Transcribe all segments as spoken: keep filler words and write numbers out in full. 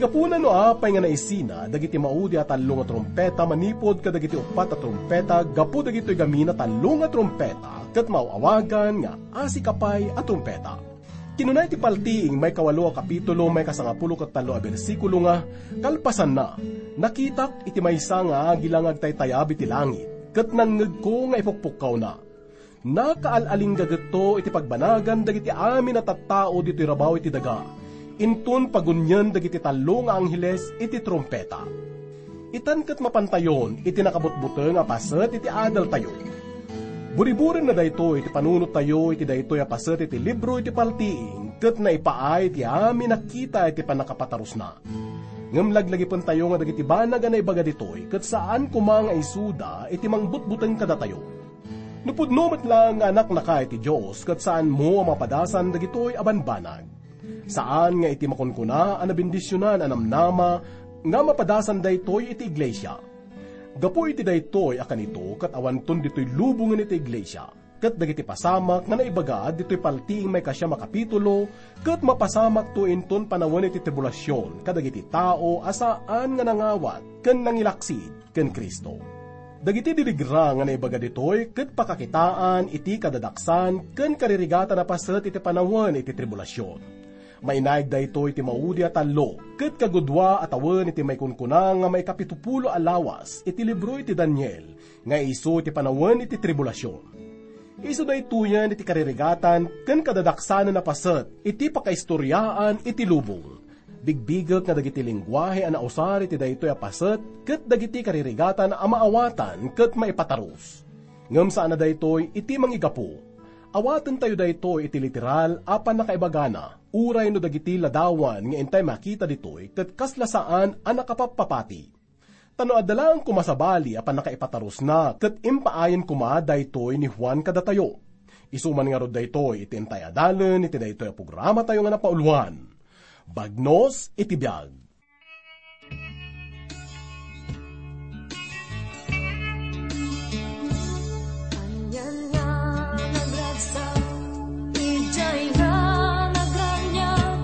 Gapuna no apay nga naisina dagiti maudi a tallo nga trumpeta manipud kadagiti uppat a trumpeta gapu dagitoy gamin a tallo nga trumpeta ket maaw-awagan nga asikapay a trumpeta. Kinuna iti paltiing maikawalo a kapitulo, maikasangapulo ket tallo a bersikulo nga, kalpasanna, nakitak iti maysa nga agila nga agtaytayab iti langit, ket nangngegko nga ipukpukkawna. Nakaal-alinggagetto iti pagbanagan dagiti amin a tattao ditoy rabaw iti daga, inton pagunien dagiti tallo nga angheles iti trumpeta. Itan ket mapantayon iti nakabutbuteng a paset iti adaltayo. Buriburenna daytoy iti panunottayo iti daytoy a paset iti libro iti paltiing ket naipaay iti amin a kita iti pannakapatarusna. Ngem laglagipentayo nga dagiti banag a naibaga ditoy ket saan koma nga isuda iti mangbutbuteng kadatayo. No pudno met laeng nga anaknaka iti Dios ket saanmo a mapadasan dagitoy a banbanag. Saan nga iti makunkuna a nabendisionan a namnama nga mapadasan daytoy iti iglesia. Gapu iti daytoy a kanito ket awanton ditoy lubongen iti iglesia, ket dagiti pasamak nga naibaga ditoy paltiing maikasiam a kapitulo ket mapasamakto inton panawen iti tribulasion kadagiti tao a saan nga nangawat ken nangilaksid ken Cristo. Dagiti dirigra nga naibaga ditoy ket pakakitaan iti kadadaksan ken karirigatan a paset iti panawen iti tribulasion. Mainaig daytoy iti maudi a tallo ket kagudua a tawen iti maikunkuna nga maikapitupulo a lawas iti libro iti Daniel nga isu iti panawen iti tribulasion. Isu daytoyen iti karirigatan ken kadadaksanen a paset iti pakaistoriaan iti lubong. Bigbigek nga dagiti lenguahe a nausar iti daytoy a paset ket dagiti karirigatan a maawatan ket maipatarus. Ngem saan a daytoy iti mangigapu. Awatentayo daytoy iti literal a pannakaibagana, uray no dagiti ladawan nga intay makita ditoy ket kasla saan a nakapappapati. Ta no adda laeng koma sabali a pannakaipatarusna ket impaayen koma daytoy ni Juan kadatayo. Isu man ngarud daytoy iti intay a dalen iti daytoy a programatayo nga napauluan, Bagnos iti Biag. Anian nga nagragsak, idiay nga nagraniag,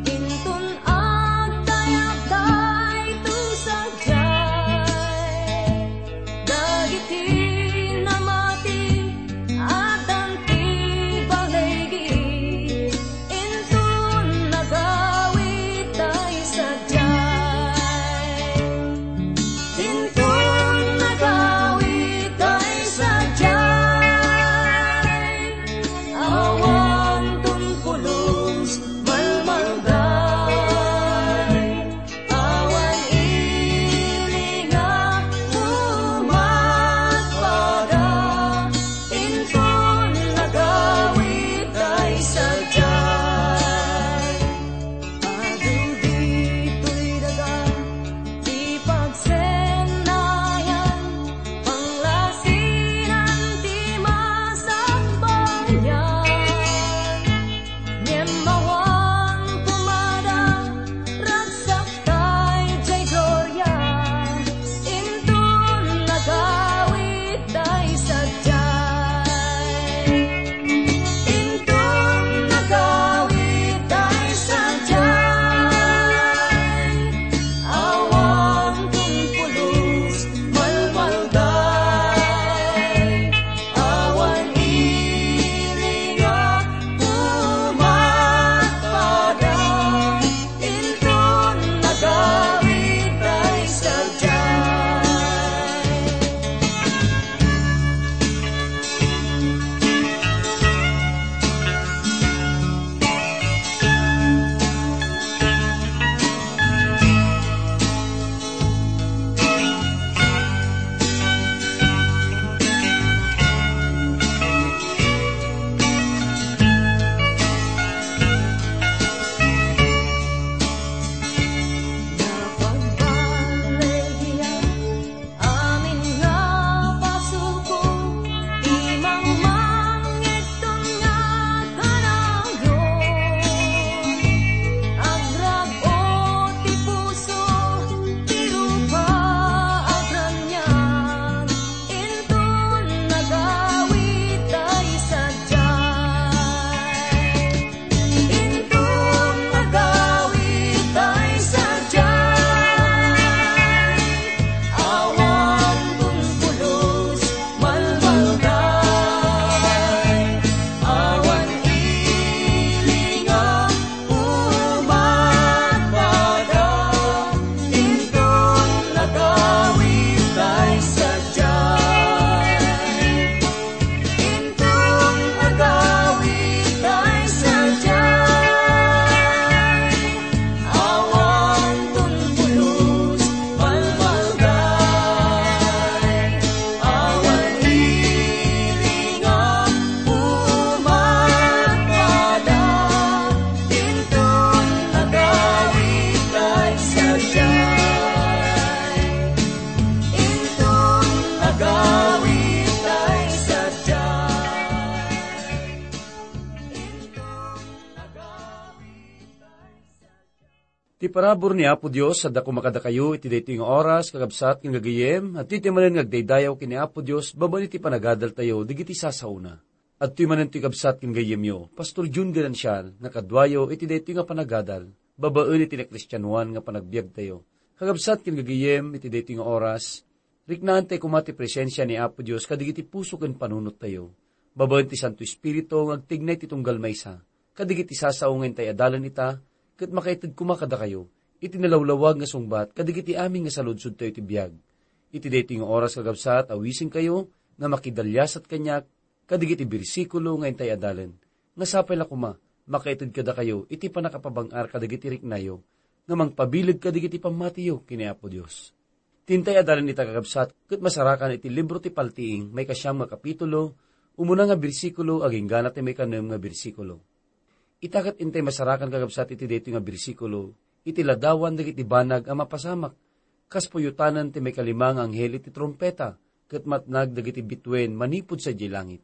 inton agdayag daytoy sadiay. Dagiti namati, addan ti baligi, inton nagawid dayta sadiay. Ti parabur ni Apo Dios, adda koma kadakayo iti daytoy nga oras, kakabsat ken gagayem, adtoy ti manen nga agdaydayaw ken ni Apo Dios, babaen iti panagadaltayo, dagiti sasaona. Adtoy manen ti kabsat ken gayyemyo, Pastor Jun Ganancial, nga kaduayo iti daytoy nga panagadal, babaen iti nakristianoan nga panagbiagtayo. Kakabsat ken gagayem, iti daytoy nga oras, riknaan tay koma ti presensia ni Apo Dios kadagiti puso ken panunottayo. Babaen ti Santo Espiritu nga agtignay ti tunggal maysa, kadagiti sasao nga intay adalen ita, ket makaited koma kadakayo, iti nalawlawag nga sungbat, kadagiti amin nga saludsodtayo iti biag. Iti daytoy nga oras, kakabsat, awisenkayo, nga makidaliasat kaniak, kadagiti bersikulo nga intay adalen, nga sapay la koma, makaited kadakayo, iti pannakapabang-ar kadagiti riknayo, nga mangpabileg kadagiti pammatiyo ken ni Apo Dios. Ti intay adalen ita, kakabsat, ket masarakan iti libro ti Paltiing, maikasiam nga kapitulo, umuna nga bersikulo, agingga na ti maikanem nga bersikulo. Ita ket intay masarakan, kakabsat, iti daytoy nga bersikulo, iti ladawan dagiti banag a mapasamak, kas puyotanen ti maikalima nga anghel iti trumpeta, ket matnag dagiti bituen manipud sadiay langit.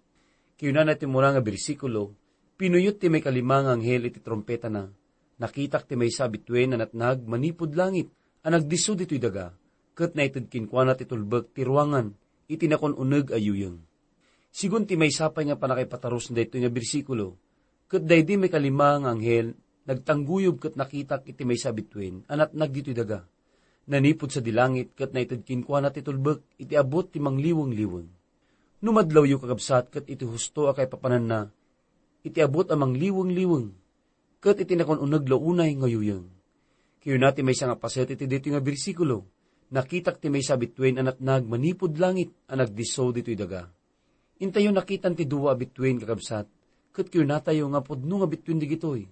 Kinunana ti umuna nga bersikulo, pinuyot ti maikalima nga anghel iti trumpetana. Nakitak ti maysa a bituen a natnag manipud langit a nagdisso ditoy daga, ket naited kenkuana ti tulbek ti ruangan iti nakon-uneg a yuyeng. Sigun ti maysa pay nga pannakaipatarus daytoy nga bersikulo, ket daydi maikalima nga anghel nagtangguyog ket nakitak iti maysa a bituen a natnag ditoy daga. Nanipud sadi langit ket naited kenkuana ti tulbek iti abut ti mangliwengwliweng. No madlawyo, kakabsat, ket iti husto a kaipapananna, iti abut a mangliwengwliweng, ket iti nakon-uneg la unay nga yuyeng. Kinuna ti maysa nga paset iti daytoy nga bersikulo, nakitak ti maysa a bituen a natnag manipud langit a nagdisso ditoy daga. Intayo nakitan ti dua a bituen, kakabsat, ket kinunatayo nga pudno nga bituen dagitoy.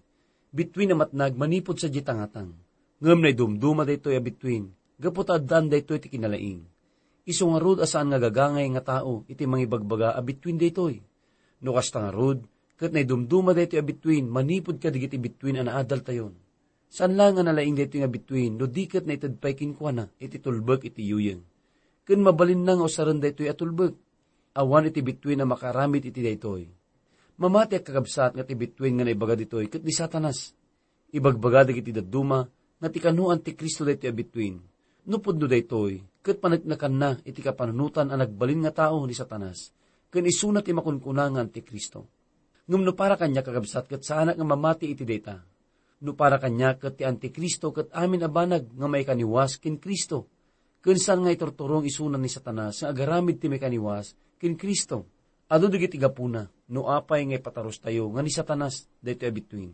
Bituen a matnag manipud sadiay tangatang. Ngem naidumduma daytoy a bituen, gapu ta addaan daytoy ti kinalaing. Isu ngarud a saan nga gagangay nga tao iti mangibagbaga a bituen daytoy. No kasta ngarud, ket naidumduma daytoy a bituen manipud kadagiti bituen a naadaltayon. Saan laeng a nalaing daytoy nga bituen no di ket naited pay kenkuana iti tulbek iti yuyeng. Ken mabalinna nga usaren daytoy a tulbek. Awan iti bituen a makaaramid iti daytoy. Mamatiak, kakabsat, nga ti bituen nga naibaga ditoy ket ni Satanas. Ibagbaga dagiti dadduma nga ti kano Antikristo daytoy a bituen. No pudno daytoy, ket paneknekanna iti kapanunotan a nagbalin nga tao ni Satanas, ken isuna ti makunkuna nga Antikristo. Ngem no para kaniak, kakabsat, ket saanak nga mamati iti dayta. No para kaniak, ket ti Antikristo ket amin a banag nga maikaniwas ken Cristo, ken saan nga iturturong isuna ni Satanas nga agaramid ti maikaniwas ken Cristo. Adu dagiti gapuna no apay nga ipatarustayo nga ni Satanas daytoy a bituen.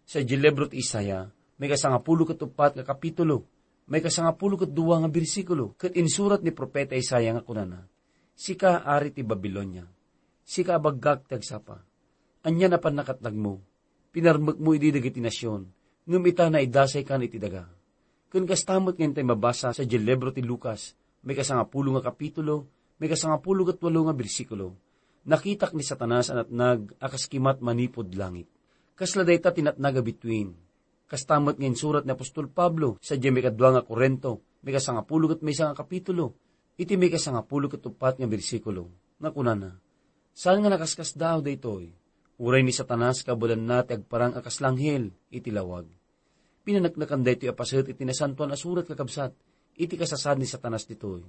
Sadiay libro ti Isaiah, maikasangapulo ket uppat nga kapitulo, maikasangapulo ket dua nga bersikulo, ket insurat ni profeta Isaiah nga kunana, "Sika, ari ti Babilonia, sika a baggak ti agsapa, ania a pannakatnagmo? Pinarmekmo idi dagiti nasion, ngem ita, naidasaykan iti daga." Ken kasta met nga intay mabasa sadiay libro ti Lucas, maikasangapulo nga kapitulo, maikasangapulo ket walo nga bersikulo, nakitak ni Satanas a natnag a kas kimat manipud langit. Kasla dayta ti natnag a bituen. Kasta met nga insurat ni apostol Pablo sadiay maikadua nga Corinto, maikasangapulo ket maysa nga kapitulo, iti maikasangapulo ket uppat nga bersikulo, nga kunana, "Saan nga nakaskasdaaw daytoy, uray ni Satanas kabaelanna ti agparang a kas langhel iti lawag." Pinaneknekan daytoy a paset iti Nasantoan a Surat, kakabsat, iti kasasaad ni Satanas ditoy.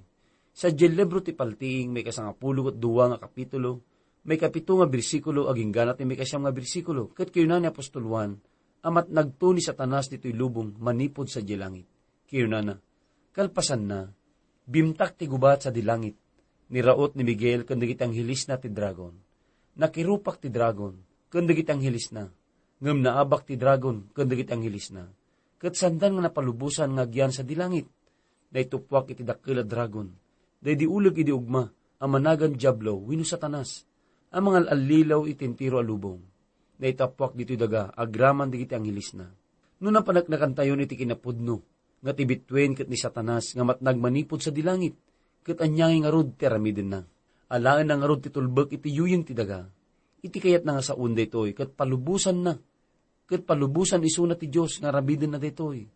Sadiay libro ti Paltiing, maikasangapulo ket dua nga kapitulo, maikapito nga bersikulo, agingga na ti maikasiam nga bersikulo, ket kinuna ni apostol Juan a matnagto ni Satanas ditoy lubong manipud sadiay langit. Kinunana, "Kalpasanna, bimtak ti gubat sadi langit. Niraot ni Miguel ken dagiti anghelisna ti dragon. Nakirupak ti dragon ken dagiti anghelisna. Ngem naabak ti dragon ken dagiti anghelisna, ket saandan nga napalubosan nga agyan sadi langit. Naituppuak iti dakkel a dragon, daydi uleg idi ugma a managan Diablo wenno Satanas, a mangal-allilaw iti entero a lubong. Naitappuak ditoy daga agraman dagiti anghelisna." No napaneknekantayon iti kinapudno nga ti bituen ket ni Satanas nga matnag manipud sadi langit, ket ania ngay ngarud ti aramidenna? Alaenna ngarud ti tulbek iti yuyeng ti daga. Iti kayatna nga sawen daytoy ket palubosanna, ket palubosan isuna ti Dios nga aramidenna daytoy.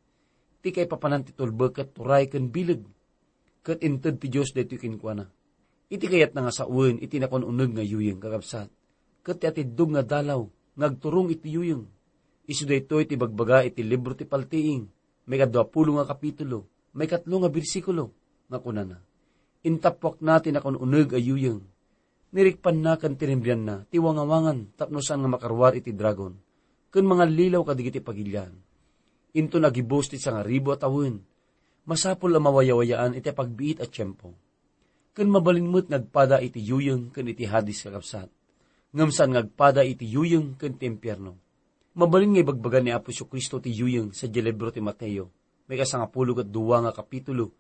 Ti kaipapanan ti tulbek ket turay ken bileg, ket inted ti Dios daytoy kenkuana. Iti kayatna nga sawen iti nakon-uneg nga yuyeng, kakabsat, ket ti atiddog nga dalaw nga agturong iti yuyeng. Isu daytoy ti ibagbaga iti libro ti Paltiing, maikadua pulo nga kapitulo, maikatlo nga bersikulo, nga kunana, "Intappuakna ti nakun-uneg a yuyeng. Nirikpanna ken tinimbrianna ti wangawangan tapno saan nga makaruar iti dragon, ken mangallilaw kadagiti pagilian. Inton agibus ti sangaribu a tawen, masapul a mawayawayaan iti pagbiit a tiempo." Ken mabalin met nga agpada iti yuyeng ken iti Hades, kakabsat. Ngem saan nga agpada iti yuyeng ken ti impierno. Mabalin nga ibagbaga ni Apo Jesu-Cristo ti yuyeng sadiay libro ti Mateo, maikasangapulo ket dua nga kapitulo,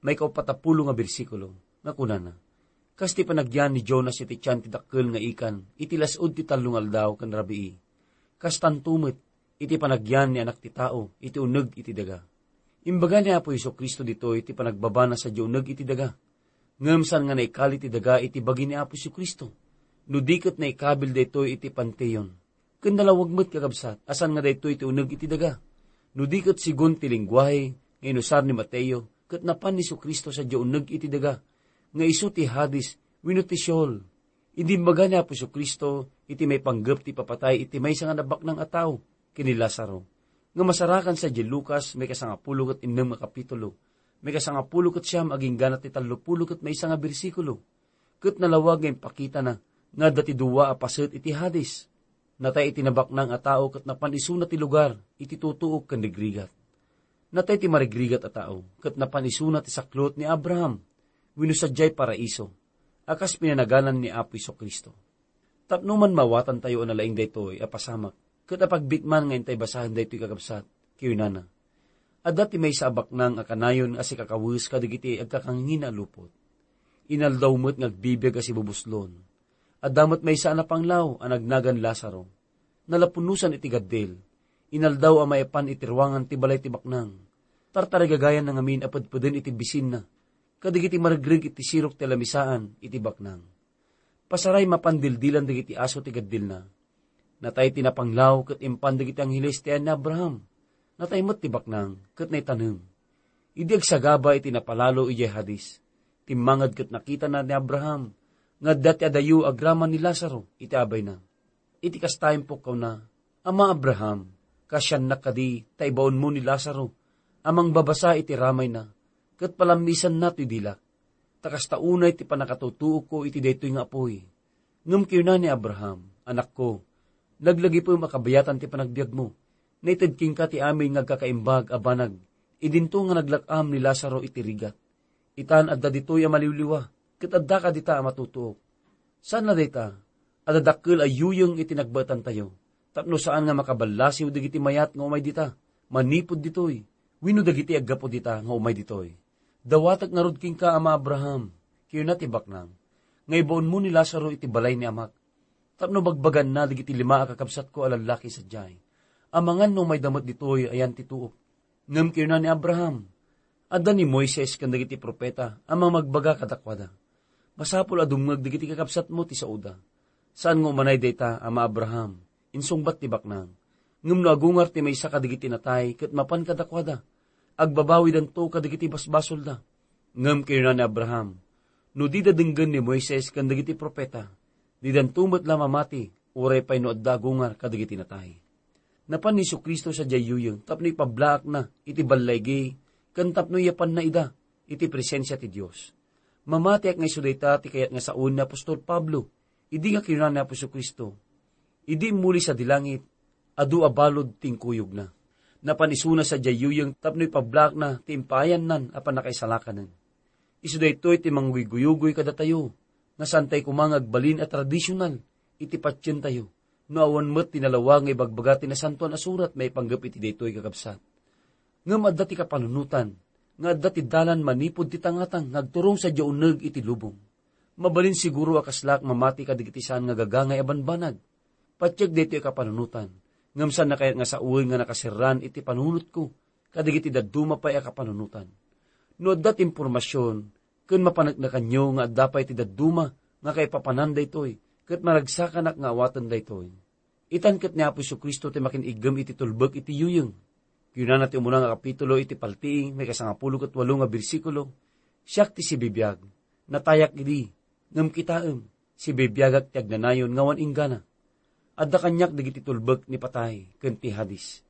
maikauppat a pulo nga bersikulo, nga kunana, "Kas ti panagyan ni Jonas iti tian ti dakkel nga ikan iti las-ud ti tallo nga aldaw ken rabii, kastanto met iti panagyan ni Anak ti Tao iti uneg iti daga." Imbaga ni Apo Jesu-Cristo ditoy ti panagbabana sadiay uneg iti daga. Ngem saan nga naikali ti daga iti bagi ni Apo Jesu-Cristo, no di ket naikabil daytoy iti panteon. Ken nalawag met, kakabsat, a saan nga daytoy ti uneg iti daga. No di ket segun ti lengguahe nga inusar ni Mateo, ket napan ni Jesu-Cristo sadiay uneg iti daga, nga isu ti Hades wenno ti Sheol. Idi imbaga ni Apo Jesu-Cristo iti maipanggep ti ipapatay iti maysa nga nabaknang a tao ken ni Lazaro, nga masarakan sadiay Lucas, maikasangapulo ket innem nga kapitulo, maikasangapulo ket siam agingga ti tallopulo ket maysa nga bersikulo. Ket nalawag nga impakitana nga adda ti dua a paset iti Hades. Natay iti nabaknang a tao ket napan isuna ti lugar iti tutuok ken rigrigat. Natay ti marigrigat a tao ket napan isuna ti saklot ni Abraham wenno sadiay paraiso a kas pinanaganan ni Apo Jesu-Cristo. Tapno man mawatantayo a nalaing daytoy a pasamak ket apagbitman nga intay basaen daytoy, kakabsat, kinunana, "Adda ti maysa a baknang a kanayon a sikakawes kadagiti agkakangngina a lupot. Inaldaw met nga agbibiag a sibubuslon. Adda met maysa a napanglaw a nagnagan Lazaro. Nalapunosan iti gaddil. Inaldaw a maipan iti ruangan ti balay ti baknang. Tartarigagayanna ngamin a pedpeden iti bisinna kadagiti maregreg iti sirok ti lamisaan iti baknang. Pasaray mapan dildilan dagiti aso ti gaddilna. Natay ti napanglaw ket impan dagiti angheles ti ayan ni Abraham. Natay met ti baknang ket naitanem." Idi agsagaba iti napalalo idiay Hades, timmanged ket nakitana ni Abraham nga adda ti adayo agraman ni Lazaro iti abayna. Iti kasta, impukawna, "Ama Abraham, kaasiannak kadi ta ibaonmo ni Lazaro a mangbabasa iti ramayna ket palammisanna toy dilak, ta kasta unay ti pannakatutuokko iti daytoy nga apuy." Ngem kinuna ni Abraham, "Anakko, laglagipem a kabayatan ti panagbiagmo. Naited kenka ti amin nga agkakaimbag a banag idinto nga naglak-am ni Lazaro iti rigat. Itan adda ditoy a maliwliwa, ket adda kadita a matutuok. Saan la dayta, adda dakkel a yuyeng iti nagbaetantayo, tapno saan nga makaballasiw dagiti mayat nga umay dita, manipud ditoy, wenno dagiti aggapu dita nga umay ditoy. Dawatek ngarud kenka, Ama Abraham," kinuna ti baknang, "nga ibaonmo ni Lazaro iti balay ni amak, tapno bagbaganna dagiti lima a kakabsatko a lallaki sadiay. Amangan no umayda met ditoy ayan ti tuok." Ngem kinuna ni Abraham, "Adda ni Moises ken dagiti profeta a mamagbaga kadakuada. Masapul a dumngeg dagiti kakabsatmo ti saoda." "Saan nga umanay dayta, Ama Abraham," insungbat ti baknang. "Ngem no agungar ti maysa kadagiti natay ket mapan kadakuada, agbabawidanto kadagiti basbasolda." Ngem kinuna ni Abraham, "No dida denggen ni Moises ken dagiti profeta, didanto met la mamati, uray pay no adda agungar kadagiti natay." Napan ni Jesu-Cristo sadiay yuyeng tapno ipablaakna iti ballaygi ken tapno iyapanna ida iti presensia ti Dios. Mamatiak nga isu dayta ti kayat nga sawen ni apostol Pablo idi nga kinuna ni Apo Jesu-Cristo, "Idi immuli sadi langit, adu a balud ti inkuyogna." Napan isuna sadiay yuyeng tapno ipablaakna ti impaayannan a pannakaisalakanen. Isu daytoy ti mangguyguyugoy kadatayo nga saantay koma nga agbalin a tradisional iti patientayo no awan met ti nalawag nga ibagbaga ti Nasantoan a Surat maipanggep iti daytoy, kakabsat. Ngem adda ti kapanunotan nga adda ti dalan manipud ti tangatang nga agturong sadiay uneg iti lubong. Mabalin siguro a kaslaak mamati kadagiti saan nga gagangay a banbanag. Patiek daytoy a kapanunotan, ngem saanna kayat nga sawen nga nakaserran iti panunotko kadagiti dadduma pay a kapanunotan. No adda ti impormasion ken mapaneknekanyo nga adda pay ti dadduma nga kaipapanan daytoy, ket maragsakanak nga awaten daytoy. Itan ket ni Apo Jesu-Cristo ti makin-iggem iti tulbek iti yuyeng. Kinunana ti umuna nga kapitulo iti Paltiing, maikasangapulo ket walo nga bersikulo, "Siak ti sibibiag, natayak idi, ngem kitaem, sibibiagak ti agnanayon nga awan inggana. Adda kaniak dagiti tulbek ni patay ken ti Hades."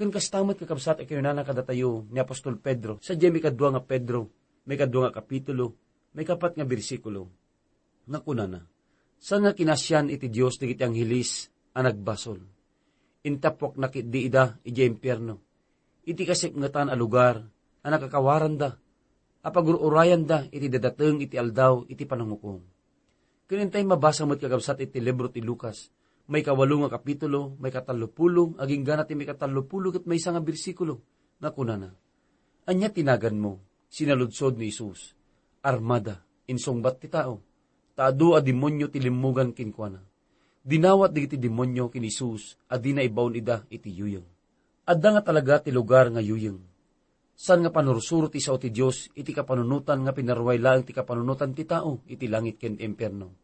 Ken kasta met, kakabsat, a kinunana kadatayo ni apostol Pedro sadiay maikadua nga Pedro, maikadua nga kapitulo, maikapat nga bersikulo, nga kunana, "Saan nga kinasian iti Dios dagiti angheles a nagbasol? Intappuakna ketdi ida idiay impierno, iti kasipngetan a lugar a nakakawaranda, a pagur-urayanda iti dadateng iti aldaw iti panangukom." Ken intay mabasa met, kakabsat, iti libro ti Lucas, maikawalo nga kapitulo, maikatallopulo, agingga na ti maikatallopulo ket maysa nga bersikulo, nga kunana, "Ania ti naganmo?" Sinaludsod ni Jesus. "Armada," insungbat ti tao, "ta adu a demonio ti limmugan kenkuana." Dinawat dagiti demonio ken ni Jesus a dina ibaon ida iti yuyeng. Adda nga talaga ti lugar nga yuyeng. Saan nga panursuro ti sao ti Dios iti kapanunotan nga pinaruay laeng ti kapanunotan ti tao iti langit ken impierno.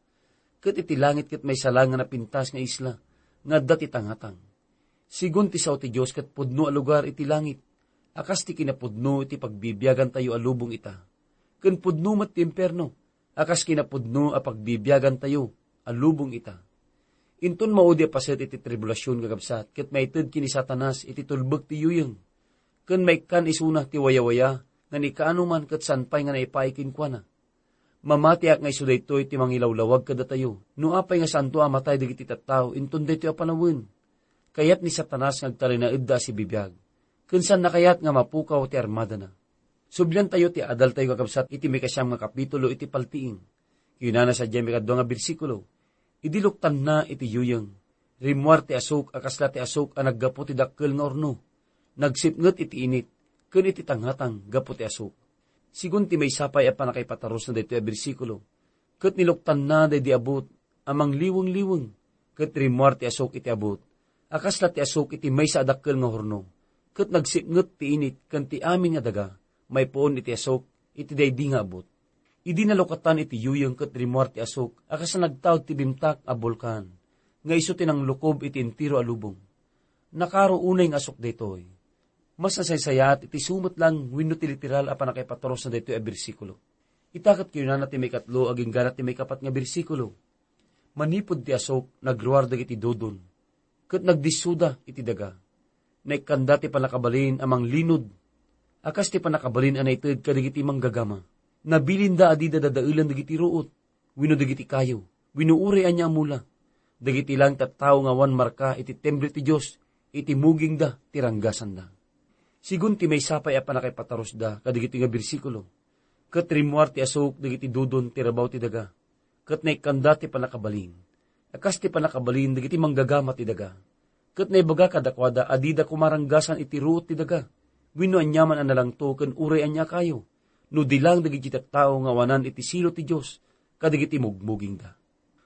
Ket iti langit ket maysa laeng nga napintas nga isla nga adda ti tangatang. Sigun ti sao ti Dios ket pudno a lugar iti langit, a kas ti kinapudno iti pagbibiagantayo a lubong ita. Ken pudno met ti impierno, a kas kinapudno a pagbibiagantayo a lubong ita. Inton maudi a paset iti tribulasion, kakabsat, ket maited ken ni Satanas iti tulbek ti yuyeng, ken maikkan isuna ti wayawaya nga ni kaano man ket saan pay nga naipaay kenkuana. Mamatiak nga isu daytoy ti mangilawlawag kadatayo, no apay nga saanto a matay dagiti tattao inton daytoy a panawen. Kayat ni Satanas nga agtalinaedda a sibibiag, ken saanna kayat nga mapukaw ti armadana. Subliantayo ti adaltayo, kakabsat, iti maikasiam nga kapitulo iti Paltiing. Kinunana sadiay maikadua nga bersikulo, "Idi luktanna iti yuyeng, rimmuar ti asuk a kasla ti asuk a naggapu ti dakkel nga urno. Nagsipnget iti init ken iti tangatang gapu ti asuk." Sigun ti maysa pay a pannakaipatarusna daytoy a bersikulo, "Ket niluktanna daydi abut a mangliweng-liweng, ket rimmuar ti asuk iti abut a kasla ti asuk iti maysa a dakkel nga hurno, ket nagsipnget ti init ken ti amin nga daga maipuon iti asuk iti daydi nga abut." Idi nalukatan iti yuyeng ket rimmuar ti asuk a kasla nagtaud ti bimtak a bulkan nga isu ti nanglukob iti entero a lubong. Nakaro unay nga asuk daytoy. Mas nasaysayaat iti sumet lang wenno ti literal a pannakaipaturosna daytoy a bersikulo. Ita ket kinunana ti maikatlo agingga na ti maikapat nga bersikulo, "Manipud ti asuk, nagruar dagiti dudon, ket nagdissoda iti daga. Naikkanda ti pannakabalin a manglinod, a kas ti pannakabalin a naited kadagiti manggagama. Nabilinda a dida dadaelan dagiti ruot, wenno dagiti kayo, wenno uray ania a mula. Dagiti lang tattao nga awan marka iti temple ti Dios, iti mugingda ti ranggasanda." Sigun ti maysa pay a pannakaipatarusda kadagiti nga bersikulo, "Ket rimmuar ti asuk dagiti dudon ti rabaw ti daga, ket naikkanda ti pannakabalin, a kas ti pannakabalin dagiti manggagama ti daga. Ket naibaga kadakuada a dida koma ranggasan iti ruot ti daga, wenno aniaman a nalangto ken uray ania a kayo, no di lang dagiti tattao nga awanan iti silo ti Dios kadagiti mugmugingda."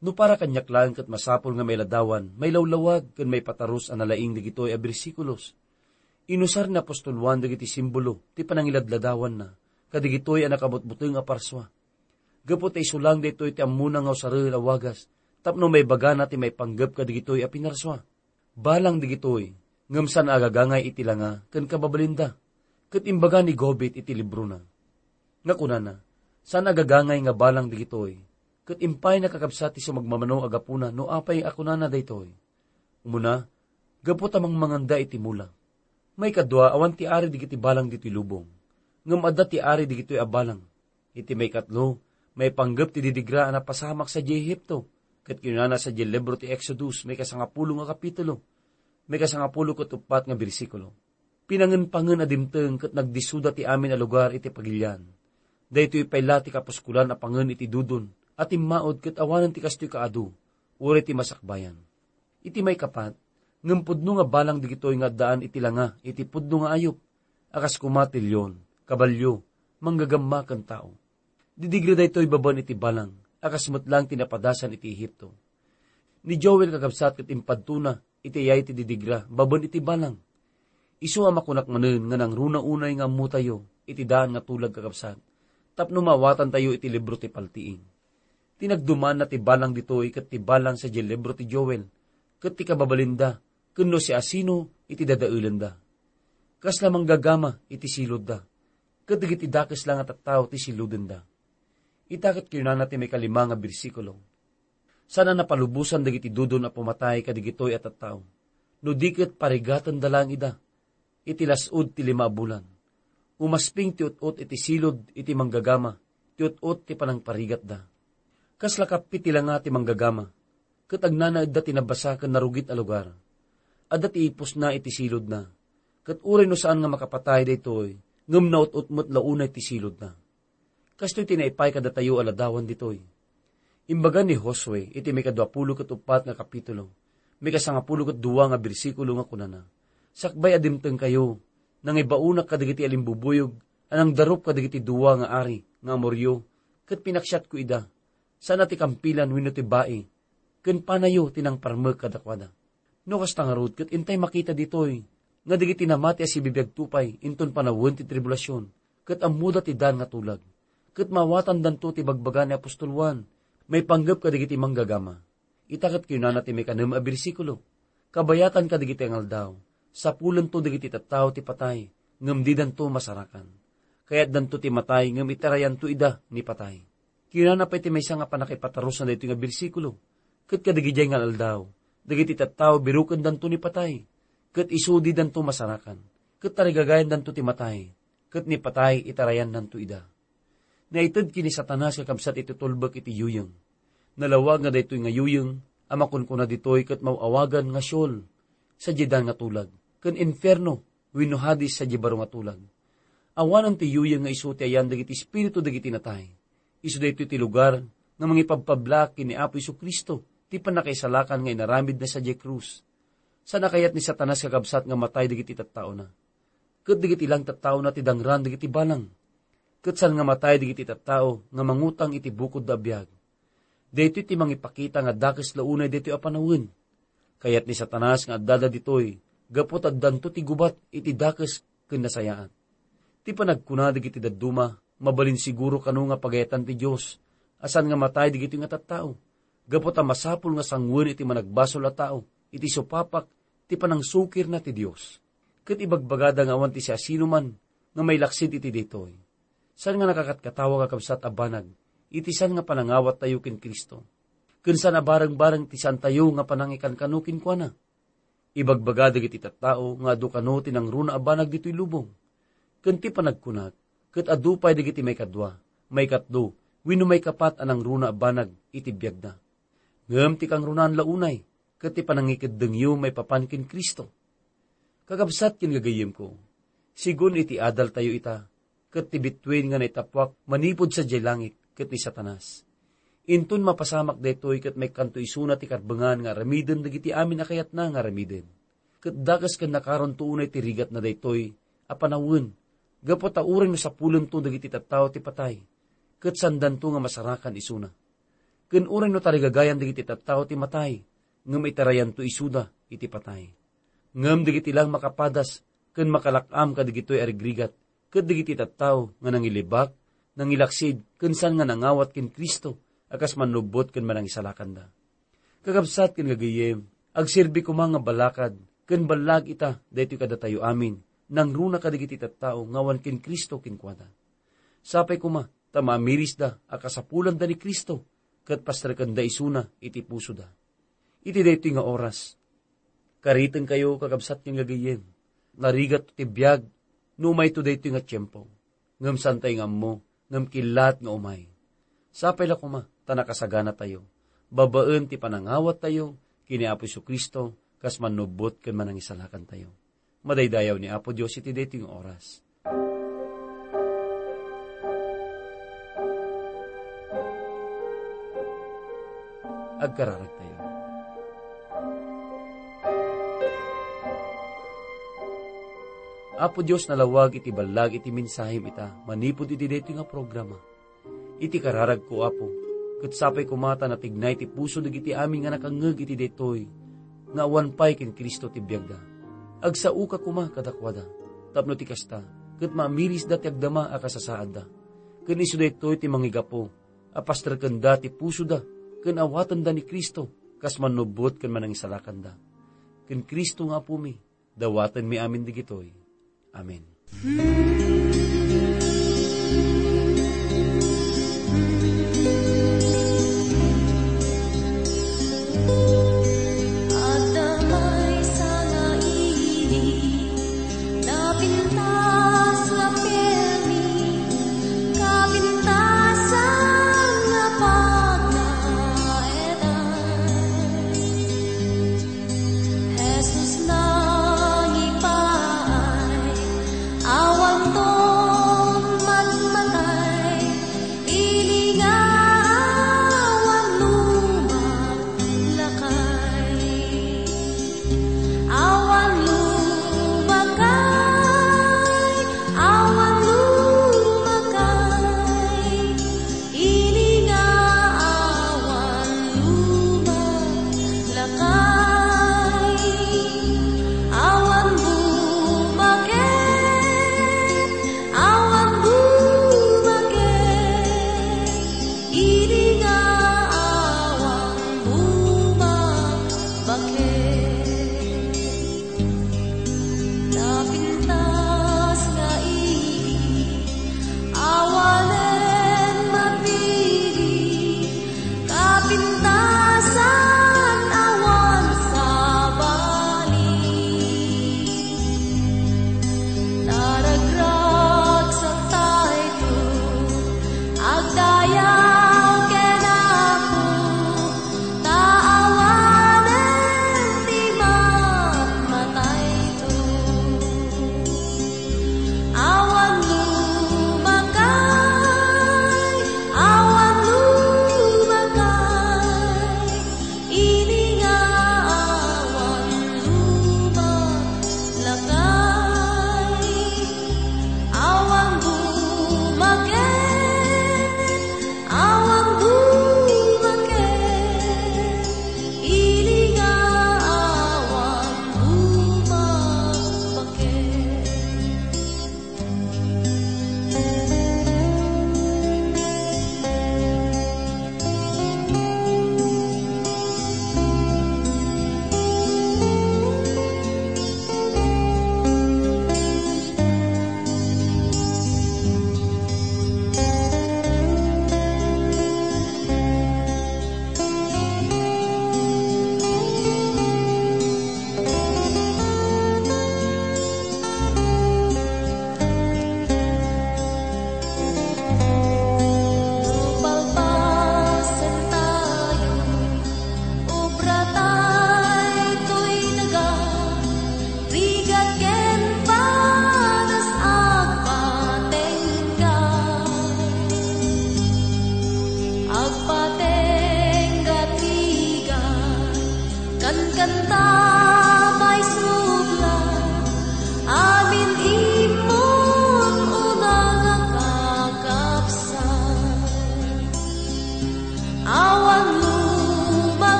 No para kaniak laeng ket masapul nga mailadawan, mailawlawag, ken maipatarus a nalaing dagitoy a bersikulos. Inusar ni apostol Juan dagiti simbolo ti panangiladladawanna kadagitoy a nakabutbuteng a parsua. Gapu ta isu lang daytoy ti ammona nga usaren a wagas tapno maibagana ti maipanggep kadagitoy a pinarsua. Balang dagitoy, ngem saan a agagangay iti langa ken kababalinda, ket imbaga ni Gobit iti librona nga kunana, "Saan a agagangay nga balang dagitoy, ket impay nakakabsat ti sumagmamano a gapuna no apay a kunana daytoy. Umuna, gapu ta mangmanganda iti mula. Maikadua, awan ti ari dagiti balang ditoy lubong, ngem adda ti ari dagitoy a balang. Iti maikatlo, maipanggep ti didigra a napasamak sadiay Egipto, ket kinunana sadiay libro ti Exodus, maikasangapulo nga kapitulo, maikasangapulo ket uppat nga bersikulo. Pinangenpangen a dimteng ket nagdissoda ti amin a lugar iti pagilian. Daytoy pay la ti kapuskolan a pangen iti dudon a timmaud ket awanen ti kastoy kaadu, uray ti masakbayan." Iti maikapat, ngem pudno nga balang dagitoy nga addaan iti langa iti pudno nga ayup, a kas koma ti leon, kabalio, manggagamma ken tao. Didigra daytoy babaen iti balang, a kas met lang ti napadasan iti Egipto. Ni Joel, kakabsat, ket impadtona iti ayay ti didigra babaen iti balang. Isu a makunak manen nga nangruna unay nga ammotayo iti daan nga tulag, kakabsat, tapno maawatantayo iti libro ti Paltiing. Tinagdumaanna ti balang ditoy ket ti balang sadiay libro ti Joel, ket ti kababalinda, ken no siasino iti dadaelenda. Kasla manggagama iti silodda, ket dagiti dakes la nga tattao ti silodenda. Ita ket kinunana ti maikalima nga bersikulo, "Saan a napalubosan dagiti dudon a pumatay kadagitoy a tattao, no di ket parigatenda laeng ida, iti las-ud ti lima a bulan. Umasping ti ut-ot iti silud iti manggagama, ti ut-ot ti panangparigatda. Kasla kappi ti langa ti manggagama, ket agnanaedda ti nabasa ken narugit a lugar. Adda ti ipusna iti siludna, ket uray no saan nga makapatay daytoy, ngem naut-ot met la unay ti siludna. Kastoy ti naipay kadatayo a ladawan ditoy. Imbaga ni Josue iti maikadua pulo ket uppat nga kapitulo, maikasangapulo ket dua nga bersikulo nga kunana, "Sakbay a dimtengkayo, nangibaonak kadagiti alimbubuyog a nangdarup kadagiti dua nga ari nga Amorio, ket pinaksiatko ida. Saan a ti kampilan wenno ti bai, ken panayo ti nangparmek kadakuada." No kasta ngarud, ket intay makita ditoy nga dagiti namati a sibibiagto pay inton panawen ti tribulasion, ket ammoda ti dan nga tulag. Ket maawatandanto ti bagbaga ni apostol Juan maipanggep kadagiti manggagama. Ita ket kinunana ti maikanem a bersikulo, "Kabayatan kadagiti nga aldaw, sapulento dagiti tattao ti patay, ngem didanto masarakan. Kayatdanto ti matay, ngem itarayanto ida ni patay." Kinunana pay ti maysa nga pannakaipatarusna daytoy nga bersikulo, "Ket kadagidiay nga aldaw, dagiti tattao birukendanto ni patay, ket isu didanto masarakan, ket tarigagayandanto ti matay, ket ni patay itarayannanto ida." Naited ken ni Satanas nga kabsat iti tulbek iti yuyeng. Nalawag nga daytoy nga yuyeng a makunkuna ditoy ket maw-awagan nga Sheol, sadiay dan nga tulag, ken infierno wenno Hades sadiay baro nga tulag. Awanen ti yuyeng nga isu ti ayan dagiti espiritu dagiti natay. Isu daytoy ti lugar nga mangipabpablaak ken ni Apo Jesu-Cristo ti pannakaisalakan nga inaramidna sadiay krus. Saan a kayat ni Satanas nga kabsat nga matay dagiti tattaona. Ket dagiti lang tattaona ti dangran dagiti balang. Ket saan nga matay dagiti tattao nga mangutang iti bukodda a biag. Daytoy ti mangipakita nga dakes la unay daytoy a panawen. Kayat ni Satanas nga addada ditoy gapu ta addanto ti gubat iti dakes ken nasayaat. Ti panagkuna dagiti dadduma, mabalin siguro kano nga pagayatan ti Dios a saan nga matay dagitoy nga tattao, gapu ta masapul nga sangoen iti managbasol a tao iti supapak ti panangsukirna ti Dios. Ket ibagbagada nga awan ti siasinoman nga mailaksid iti daytoy. Saan nga nakakatkatawa, kakabsat a banag, iti saan nga panangawattayo ken Cristo, ken saan a barengbareng ti saantayo nga panangikankano kenkuana. Ibagbaga dagiti tattao nga adu kano ti nangruna a banag ditoy lubong. Ken ti panagkunak, ket adu pay dagiti maikadua, maikatlo, wenno maikapat a nangruna a banag iti biagda. Ngem ti kangrunaan la unay, ket ti panangikeddengyo maipapan ken Cristo. Kakabsat ken gagayyemko, sigun iti adaltayo ita, ket ti bituen nga naitappuak manipud sadiay langit ket ni Satanas. Inton mapasamak daytoy ket maikkanto isuna ti karbengan nga aramiden dagiti amin a kayatna nga aramiden. Ket dakes ken nakaronto unay ti rigatna daytoy a panawen, gapu ta uray no sapulento dagiti tattao ti patay, ket saandanto nga masarakan isuna. Ken uray no tarigagayan dagiti tattao ti matay, ngem itarayanto isuda iti patay. Ngem dagiti lang makapadas ken makalak-am kadagitoy a rigrigat, ket dagiti tattao nga nangilibak, nangilaksid, ken saan nga nangawat ken Cristo a kas mannubbot ken manangisalakanda. Kakabsat ken gagayyem, agserbi koma nga balakad ken ballag ita daytoy kadatayo amin, nangruna kadagiti tattao nga awan ken Cristo kenkuana. Sapay koma ta maamirisda a kasapulanda ni Cristo ket pastrekenda isuna iti pusoda. Iti daytoy nga oras, karitenkayo, kakabsat ken gagayyem, narigat ti biag no umayto daytoy nga tiempo. Ngem saantay nga ammo, ngem kilat nga umay. Sapay la koma ta nakasaganatayo, babaen ti panangawattayo ken ni Apo Jesu-Cristo kas mannubbot ken manangisalakantayo. Madaydayaw ni Apo Dios iti daytoy nga oras. Agkararagtayo. Apo Dios, nalawag iti ballag iti mensahem ita manipud iti daytoy nga programa. Iti kararagko, Apo, ket sapay koma ta natignay ti puso dagiti amin nga nakangngeg iti daytoy nga awan pay ken Cristo ti biagda. Agsaoka koma kadakuada, tapno ti kasta, ket maamirisda ti agdama a kasasaadda. Ken isu daytoy ti mangigapu a pastrekenda ti pusoda ken awatenda ni Cristo kas mannubbot ken manangisalakanda. Ken Cristo nga Apomi, dawatenmi amin dagitoy. Amen.